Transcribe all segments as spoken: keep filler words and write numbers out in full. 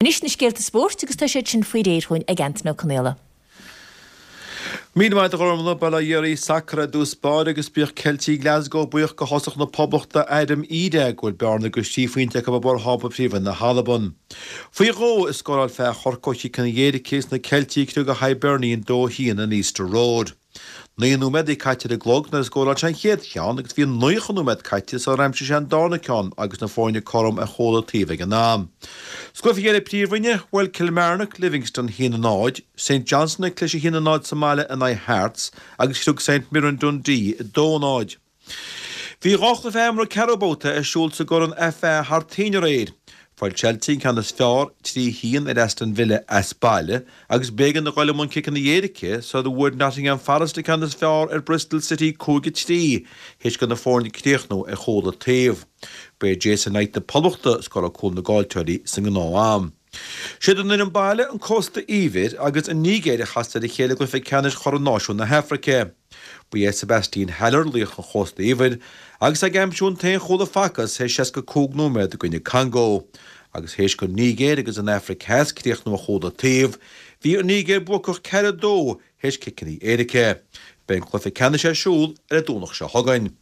Anois na scéalta spóirt agus tá siad sin faoi réir chugainn ag Antaine Ó Conaola. Míle maith agat a Ghormfhlaith, bail ó Dhia oraibh. Sacar i dtús báire agus bíodh Ceiltigh Glasgow buíoch go thosach na Poblachta Adam Idah go bhfuil bearna de thrí phointe acu i bhforthábla Príomhroinn na hAlban. Faoi dhó a scóráil fear Chorcaí ó chiceanna éirice agus na Ceiltigh ag criogadh Hibernian dó a haon in Easter Road. Naoi nóiméad a bhí caite ar an gclog nuair a scóráil sé an chéad cheann agus bhí naocha nóiméad caite sular aimsigh sé an darna ceann agus na foirne cothrom ar chúl an taobh ag an am. Sa gcluiche eile Príomhroinne, bhuail Kilmarnock Livingston a haon a náid, St Johnstone ag cliseadh a haon a náid sa mbaile in aghaidh Hearts agus chriog St Mirren Dundee a dó a náid. Bhí dhá chluiche imeartha ceathrú babhta ar siúl sa gCorn FA thar toinn aréir. Fuair Chelsea an ceann is fearr trí a haon ar Aston Villa as baile agus b'éigean a dhul i mbun ciceanna éirice sula bhfuair Nottingham Forest an ceann is fearr ar Bristol City cúig a trí théis do na foirne críochnú ar chúl an taobh. Ba é Jason Knight na Poblachta a scóráil cúl na gcaillteoirí sa ngnáth-am. Siad an fhoireann baile, an Cósta Eabhair agus an Nigéir a chas ar a chéile i gcluiche ceannais Chorn Náisiún na hAfraice. Ba é Sebastien Haller laoch an Chósta Eabhair agus é ag aimsiú an t-aon chúl a facthas théis seasca cúig nóiméad i gcoinne Congo. Agus théis don Nigéir agus an Afraic Theas críochnú ar chúl an taobh, bhí an Nigéir buacach ceathair a dó théis ciceanna éirice. Beidh an cluiche ceannais ar siúl ar an Domhnach seo chugainn.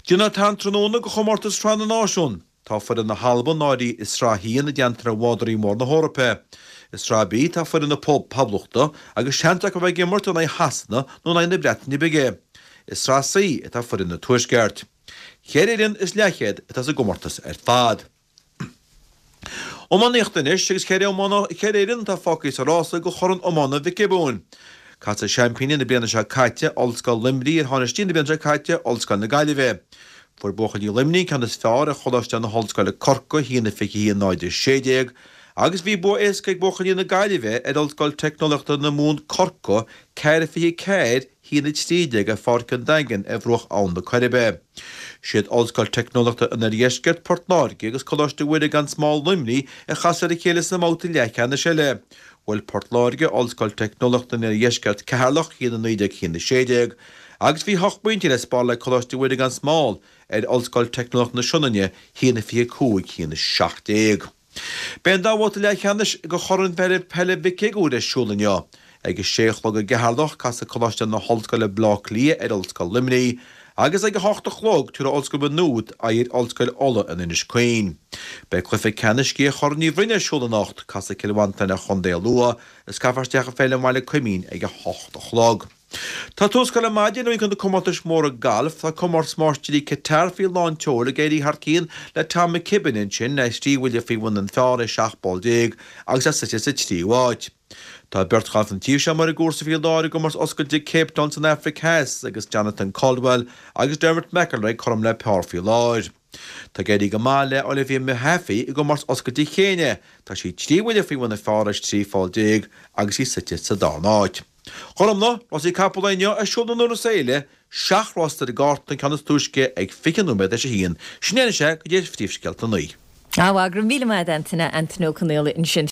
Déanfar tarraingt tráthnóna do chomórtas Shraith na Náisiún. Tá foireann na hAlban áirithe i Sraith a haon i dteannta le bhádóirí móra na hEorpa. I Sraith B tá foireann na Poblachta agus seans acu a bheith ag imirt in aghaidh Shasana nó in aghaidh na Breataine Bige. I Sraith C atá foireann an Tuaiscirt. Ceithre fhoireann is leathchéad atá sa gcomórtas ar fad. Iománaíocht anois agus ceithre fhoireann atá fágtha sa rása do Chorn Iomána Mhic Giobúin. Casfaidh seaimpíní na bliana seo caite, Ollscoil Luimnigh, ar thánaistí na bliana seo caite, Ollscoil na Gaillimhe. Fuair buachaillí Luimnigh an ceann is fearr ar Choláiste na hOllscoile Corcaigh, a haon a fiche a haon náid a sé déag, agus bhí bua éasca ag buachaillí na Gaillimhe ar Ollscoil Teicneolaíochta na Mumhan Corcaigh, ceathair a fiche a ceathair, a haon a trí déag ar Pháirc an Daingin ar bhruach Abhainn na Coiribe. Siad Ollscoil Teicneolaíochta an Oirdheiscirt, Port Láirge agus Coláiste Mhuire gan Smál Luimnigh a chas ar a chéile sa mbabhta leathcheannais eile. Bhuail Port Láirge Ollscoil Teicneolaíochta an Oirdheiscirt Ceatharlach, a haon a naoi déag, a haon a sé déag, agus bhí ocht bpointe le spáráil ag Coláiste Mhuire gan Smál ar Ollscoil Teicneolaíochta na Sionainne, a haon a fiche a cúig, a haon a seacht déag. Beidh an dá bhabhta leathcheannais de Chorn Peile Mhic Shigiúir ar siúl inniu. Ag a sé a chlog i gCeatharlach, casfaidh Coláiste na hOllscoile Baile Átha Cliath ar Ollscoil Luimnigh agus ag a hocht a chlog tabharfaidh Ollscoil Mhaigh Nuad aghaidh ar Ollscoil Uladh in Inis Caoin. Beidh cluiche ceannais Chorn Uí Bhroin ar siúl anocht, casfaidh Cill Mhantáin ar Chontae Lú is caithfear isteach i Féilim Bhaile Coimín ag a hocht a chlog. Tá tús curtha le maidin i roinnt de na comórtais mhóra gailf. Tá Comórtas Máistirí Qatar faoi lán tseoil ag éirí thar cionn le Tom McKibbin ansin, é trí bhuille faoi bhun an phar i seacht bpoll déag agus é suite sa tríú háit. Tá beirt ghalf an tír seo amuigh ar an gcúrsa faoi láthair i gcomórtas oscailte Cape Town san Afraic Theas agus Jonathan Caldwell agus Dermot McElroy cothrom le par faoi láthair. Tá ag éirí go maith le Olivia Mehaffey i gcomórtas oscailte Chéinia. Tá sí trí bhuille faoi bhun an phar théis trí pholl déag agus í suite sa darna háit. Gormfhlaith, rásaí capall inniu ar siúl in Iorras Fhéile, seacht rás ar an gcárta, an ceann is túisce ag fiche nóiméad théis a haon. Sin é anois é go dtí phríomhscéalta a naoi. Á, go raibh míle maith agat, Antaine, Antaine Ó Conaola ansin.